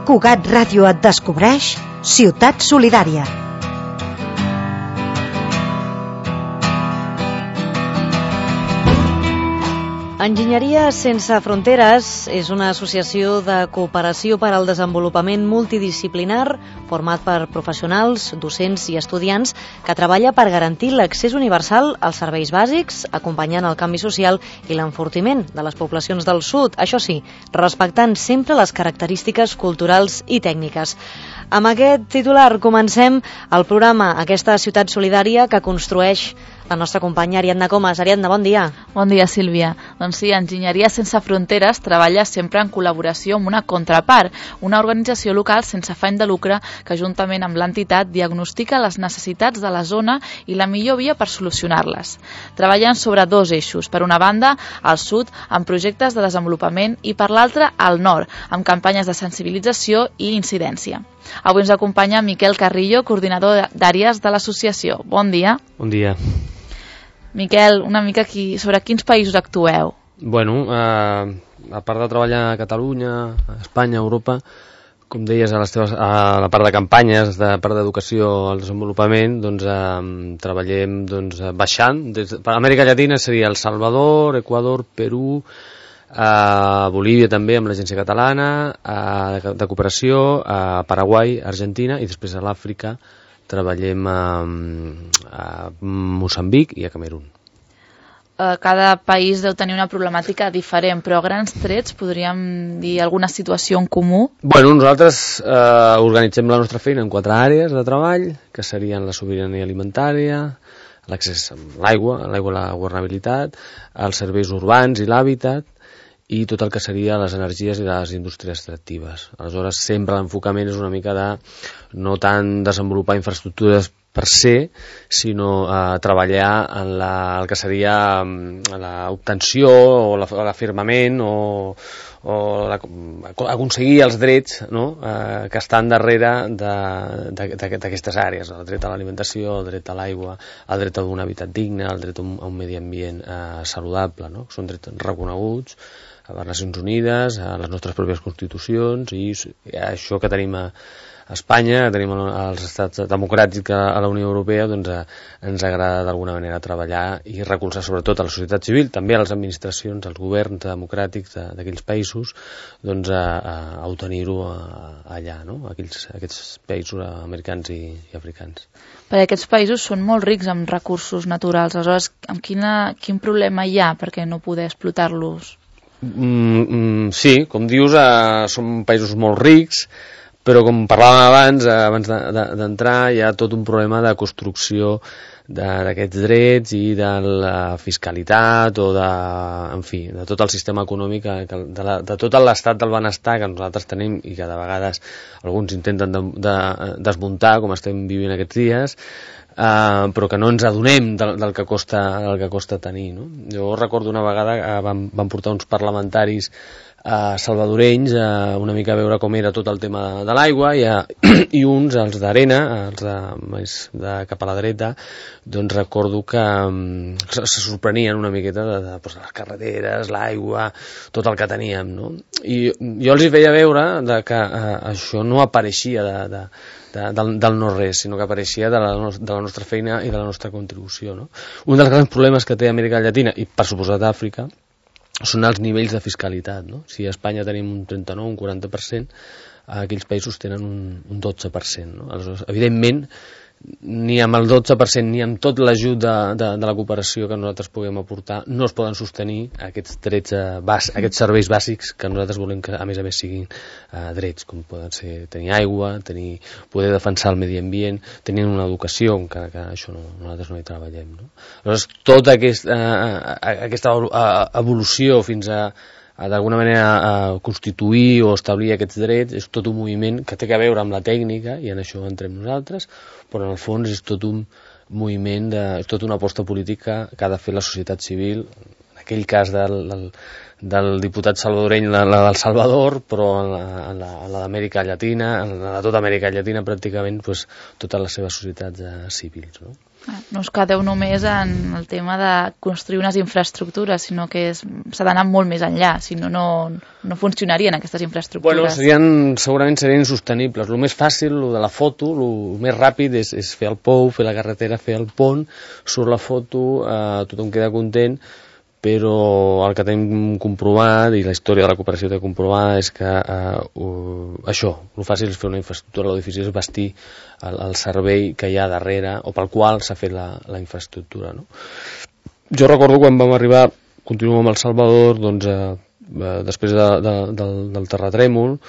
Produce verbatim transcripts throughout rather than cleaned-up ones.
Cugat Ràdio et descobreix Ciutat Solidària. Enginyeria Sense Fronteres és una associació de cooperació per al desenvolupament multidisciplinar format per professionals, docents i estudiants que treballa per garantir l'accés universal als serveis bàsics, acompanyant el canvi social i l'enfortiment de les poblacions del sud, això sí, respectant sempre les característiques culturals i tècniques. Amb aquest titular comencem el programa Aquesta ciutat solidària que construeix la nostra companya Ariadna Comas. Ariadna, bon dia. Bon dia, Sílvia. Doncs sí, Enginyeria Sense Fronteres treballa sempre en col·laboració amb una contrapart, una organització local sense afany de lucre que juntament amb l'entitat diagnostica les necessitats de la zona i la millor via per solucionar-les. Treballen sobre dos eixos. Per una banda, al sud, amb projectes de desenvolupament i per l'altra, al nord, amb campanyes de sensibilització i incidència. Avui ens acompanya Miquel Carrillo, coordinador d'àrees de l'associació. Bon dia. Bon dia. Miquel, una mica aquí, sobre quins països actueu? Bueno, eh, a part de treballar a Catalunya, a Espanya, a Europa, com deies, a, les teves, a la part de campanyes, de part d'educació al desenvolupament, doncs eh, treballem doncs, baixant. Des, per Amèrica Llatina seria El Salvador, Equador, Perú, a Bolívia també amb l'Agència Catalana, a, de, de cooperació, a Paraguai, Argentina, i després a l'Àfrica treballem a, a Moçambic i a Camerun. Cada país deu tenir una problemàtica diferent, però a grans trets podríem dir alguna situació en comú? Bueno, nosaltres eh, organitzem la nostra feina en quatre àrees de treball, que serien la sobirania alimentària, l'accés a l'aigua, a l'aigua i la governabilitat, els serveis urbans i l'hàbitat, i tot el que seria les energies i les indústries extractives. Aleshores, sempre l'enfocament és una mica de no tant desenvolupar infraestructures per se, sinó eh, treballar en la, el que seria l'obtenció o l'afirmament o, o la, aconseguir els drets, no? eh, que estan darrere d'aquestes àrees, el dret a l'alimentació, el dret a l'aigua, el dret a un habitat digne, el dret a un, a un medi ambient eh, saludable, no? Són drets reconeguts a les Nacions Unides, a les nostres pròpies constitucions, i això que tenim a Espanya, que tenim als estats democràtics a la Unió Europea, doncs eh, ens agrada d'alguna manera treballar i recolzar sobretot a la societat civil, també a les administracions, als governs democràtics d'aquells països, doncs a, a obtenir-ho allà, no? Aquells, aquests països americans i, i africans. Perquè aquests països són molt rics en recursos naturals, aleshores amb quina, quin problema hi ha perquè no poder explotar-los? Mm, mm, sí, com dius, eh, són països molt rics, però com parlàvem abans, eh, abans d'entrar, de, de, hi ha tot un problema de construcció d'aquests drets i de la fiscalitat o de, en fi, de tot el sistema econòmic, de, la, de tot l'estat del benestar que nosaltres tenim i que de vegades alguns intenten de, de desmuntar, com estem vivint aquests dies, Uh, però que no ens adonem del, del, que costa, del que costa tenir, no? Jo recordo una vegada que vam, vam portar uns parlamentaris uh, salvadorenys uh, una mica a veure com era tot el tema de, de l'aigua i, uh, i uns, els d'Arena, els de, més de cap a la dreta, doncs recordo que um, se, se sorprenien una miqueta de, de, de les carreteres, l'aigua, tot el que teníem, no? I jo els hi feia veure de que uh, això no apareixia de, de De, del, del no-res, sinó que apareixia de la, de la nostra feina i de la nostra contribució, no? Un dels grans problemes que té Amèrica Llatina, i per suposat Àfrica, són els nivells de fiscalitat, no? Si a Espanya tenim un trenta-nou, un quaranta per cent, aquells països tenen un, un dotze per cent, no? Aleshores, evidentment, ni amb el dotze per cent ni amb tot l'ajut de, de, de la cooperació que nosaltres puguem aportar no es poden sostenir aquests drets, eh, bas, aquests serveis bàsics que nosaltres volem que a més a més siguin eh, drets, com poden ser tenir aigua, tenir, poder defensar el medi ambient, tenir una educació, encara que això no, nosaltres no hi treballem, no? Aleshores, tota aquest, eh, aquesta evolució fins a d'alguna manera a constituir o establir aquests drets és tot un moviment que té a veure amb la tècnica i en això entrem nosaltres, però en el fons és tot un moviment, de, és tot una aposta política que ha de fer la societat civil, en aquell cas del, del, del diputat salvadoreny, la, la del Salvador, però en la, en la, en la d'Amèrica Llatina, en la de tota Amèrica Llatina pràcticament, pues, totes les seves societats eh, civils, no? No us quedeu només en el tema de construir unes infraestructures, sinó que s'ha d'anar molt més enllà, si no, no funcionarien aquestes infraestructures. Bueno, serien, segurament serien insostenibles. El més fàcil, el de la foto, el més ràpid és, és fer el pou, fer la carretera, fer el pont, surt la foto, eh, tothom queda content, però el que tenim comprovat, i la història de la cooperació té comprovat, és que eh, uh, això, el fàcil és fer una infraestructura, el difícil és bastir el, el servei que hi ha darrere, o pel qual s'ha fet la, la infraestructura, no? Jo recordo quan vam arribar, continuo amb El Salvador, doncs, eh, després de, de, del, del terratrèmol,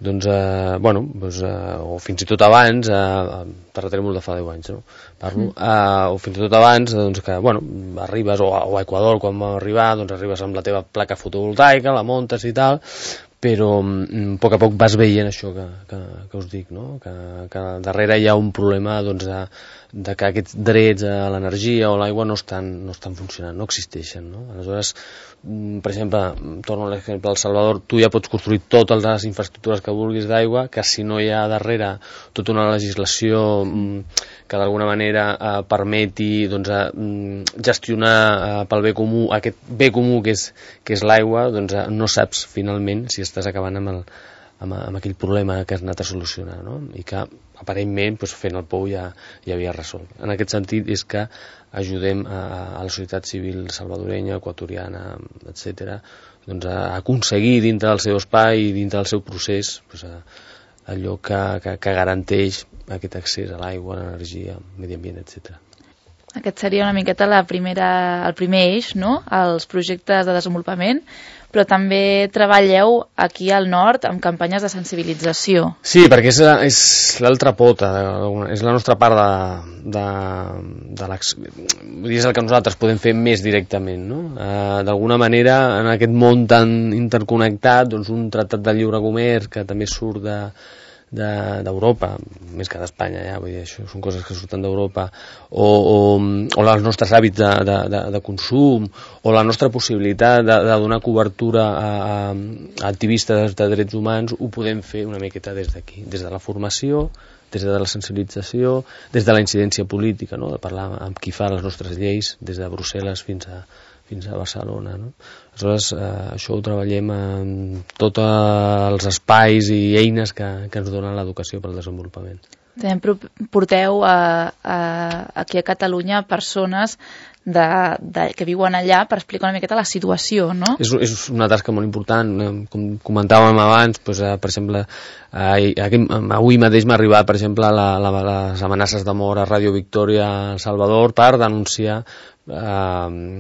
doncs, eh, bueno, doncs, eh, o fins i tot abans, eh, terratrèmol de fa deu anys, no? Parlo, mm. eh, o fins i tot abans, doncs, que, bueno, arribes, o a, o a Equador, quan vam arribar, doncs arribes amb la teva placa fotovoltaica, la muntes i tal, però a poc a poc vas veient això que, que, que us dic, no? Que, que darrere hi ha un problema, doncs, de, de que aquests drets a l'energia o l'aigua no estan, no estan funcionant, no existeixen, no? Aleshores, per exemple, torno a l'exemple del Salvador, tu ja pots construir totes les infraestructures que vulguis d'aigua, que si no hi ha darrere tota una legislació que d'alguna manera eh, permeti, doncs, eh, gestionar eh, pel bé comú, aquest bé comú que és, que és l'aigua, doncs eh, no saps finalment si estàs acabant amb, el, amb, amb aquell problema que has anat a solucionar, no? I que aparentment doncs, fent el pou ja, ja havia resolt. En aquest sentit és que ajudem a, a la societat civil salvadorenya, equatoriana, etcètera, doncs, a aconseguir dintre del seu espai i dintre del seu procés doncs, a, allò que, que, que garanteix aquest accés a l'aigua, a l'energia, al medi ambient, etcètera. Aquest seria una miqueta la primera, el primer eix, no?, els projectes de desenvolupament, però també treballeu aquí al nord amb campanyes de sensibilització. Sí, perquè és, és l'altra pota, és la nostra part de, de, de l'ex... és el que nosaltres podem fer més directament, no? Eh, d'alguna manera, en aquest món tan interconnectat, doncs un tractat de lliure comerç que també surt de d'Europa, de, més que d'Espanya, ja, vull dir, això són coses que surten d'Europa, o, o, o els nostres hàbits de, de, de, de consum, o la nostra possibilitat de, de donar cobertura a, a activistes de drets humans, ho podem fer una miqueta des d'aquí, des de la formació, des de la sensibilització, des de la incidència política, no? De parlar amb qui fa les nostres lleis, des de Brussel·les fins a fins a Barcelona, no? Aleshores, eh, això ho treballem en tots els espais i eines que, que ens donen l'educació pel desenvolupament. També porteu a, a, aquí a Catalunya persones de, de, que viuen allà per explicar una miqueta la situació, no? És, és una tasca molt important, com comentàvem abans, doncs, eh, per exemple, eh, avui mateix m'ha arribat, per exemple, la, la, les amenaces de mort a Ràdio Victòria a El Salvador per denunciar Uh,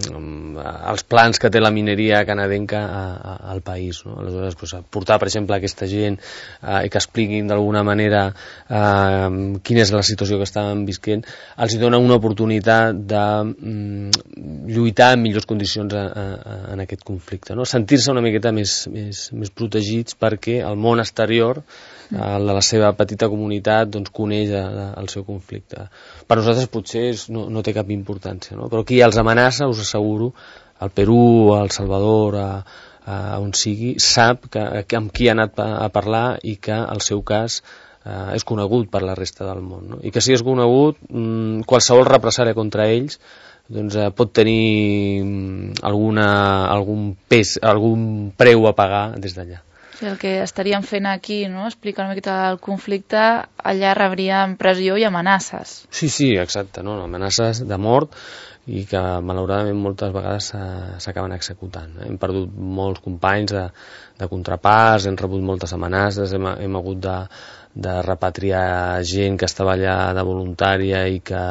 els plans que té la mineria canadenca a, a, al país, no? Aleshores, pues, portar, per exemple, aquesta gent uh, i que expliquin d'alguna manera uh, quina és la situació que estaven visquent, els hi dona una oportunitat de um, lluitar en millors condicions a, a, en aquest conflicte, no? Sentir-se una miqueta més, més, més protegits perquè el món exterior, el de la seva petita comunitat, doncs, coneix el seu conflicte. Per nosaltres potser no, no té cap importància, no? Però qui els amenaça, us asseguro, al Perú, al Salvador, a, a on sigui, sap que, que amb qui ha anat a, a parlar i que el seu cas eh, és conegut per la resta del món, no? I que si és conegut, mmm, qualsevol represàlia contra ells doncs, eh, pot tenir alguna, algun pes, algun preu a pagar des d'allà. El que estaríem fent aquí, no?, explicar una miqueta el conflicte, allà rebríem pressió i amenaces. Sí, sí, exacte, no? Amenaces de mort i que malauradament moltes vegades s'acaben executant. Hem perdut molts companys de, de contraparts, hem rebut moltes amenaces, hem, hem hagut de, de repatriar gent que estava allà de voluntària i que,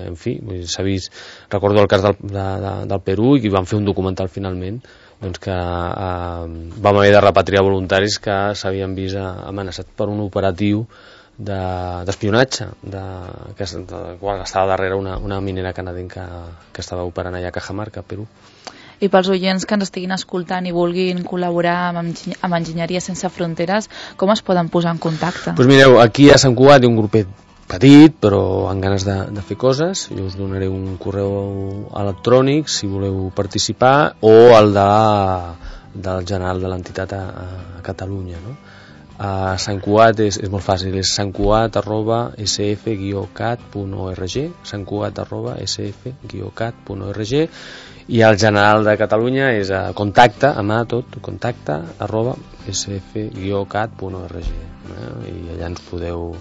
en fi, s'ha vist, recordo el cas del, de, de, del Perú i que van fer un documental finalment, doncs que eh, vam haver de repatriar voluntaris que s'havien vist amenaçats per un operatiu d'espionatge de, que de, qual estava darrere una, una minera canadenca que estava operant allà a Cajamarca, Perú. I pels oients que ens estiguin escoltant i vulguin col·laborar amb, amb Enginyeria Sense Fronteres, com es poden posar en contacte? Doncs mireu, aquí a Sant Cugat hi ha un grupet petit, però amb ganes de, de fer coses. Jo us donaré un correu electrònic si voleu participar, o el de, del general de l'entitat a, a Catalunya, no? A Sant Cugat és, és molt fàcil, és santcugat arroba s f guió cat punt org, santcugat arroba s f guió cat punt org, i el general de Catalunya és a contacte, a mà tot, contacte arroba s f guió cat punt org, eh? I allà ens podeu,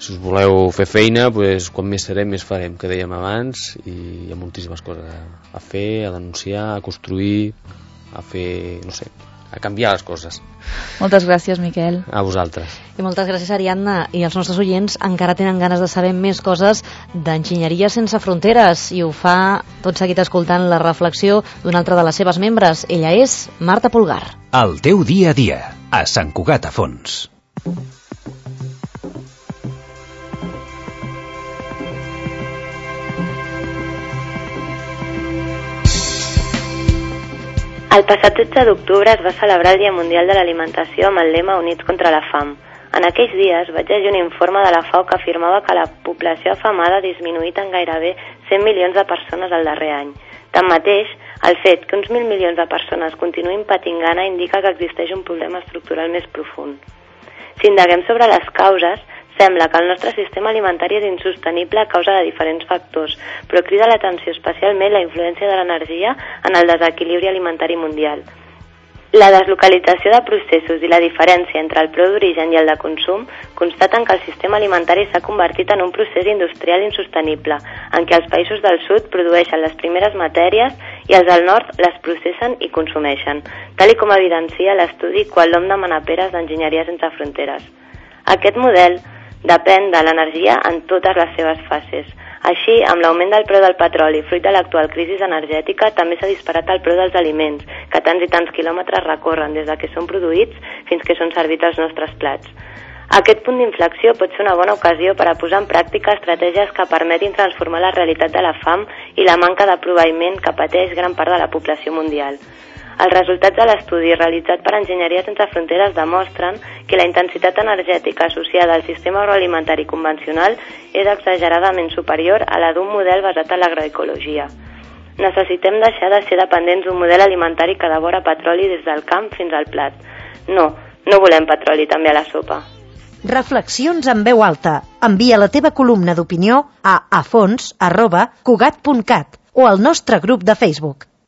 si us voleu fer feina, pues, quan més serem més farem, que dèiem abans, i hi ha moltíssimes coses a fer, a denunciar, a construir, a fer, no sé, a canviar les coses. Moltes gràcies, Miquel. A vosaltres. I moltes gràcies, Ariadna. I els nostres oients encara tenen ganes de saber més coses d'Enginyeria Sense Fronteres, i ho fa tot seguit escoltant la reflexió d'una altra de les seves membres. Ella és Marta Pulgar. El teu dia a dia, a Sant Cugat a Fons. El passat tretze d'octubre es va celebrar el Dia Mundial de l'Alimentació amb el lema Units contra la fam. En aquells dies vaig llegir un informe de la FAO que afirmava que la població afamada ha disminuït en gairebé cent milions de persones el darrer any. Tanmateix, el fet que uns mil milions de persones continuïn patint gana indica que existeix un problema estructural més profund. Si indaguem sobre les causes, sembla que el nostre sistema alimentari és insostenible a causa de diferents factors, però crida l'atenció especialment la influència de l'energia en el desequilibri alimentari mundial. La deslocalització de processos i la diferència entre el preu d'origen i el de consum constaten que el sistema alimentari s'ha convertit en un procés industrial insostenible, en què els països del sud produeixen les primeres matèries i els del nord les processen i consumeixen, tal i com evidencia l'estudi Qual·lom de Manaperes d'Enginyeria Sense Fronteres. Aquest model depèn de l'energia en totes les seves fases. Així, amb l'augment del preu del petroli fruit de l'actual crisi energètica, també s'ha disparat el preu dels aliments, que tants i tants quilòmetres recorren des de que són produïts fins que són servits als nostres plats. Aquest punt d'inflexió pot ser una bona ocasió per a posar en pràctica estratègies que permetin transformar la realitat de la fam i la manca de proveïment que pateix gran part de la població mundial. Els resultats de l'estudi realitzat per Enginyeria Sense Fronteres demostren que la intensitat energètica associada al sistema agroalimentari convencional és exageradament superior a la d'un model basat en l'agroecologia. Necessitem deixar de ser dependents d'un model alimentari que devora petroli des del camp fins al plat. No, no volem petroli també a la sopa. Reflexions en veu alta. Envia la teva columna d'opinió a afons arroba cugat punt cat o al nostre grup de Facebook.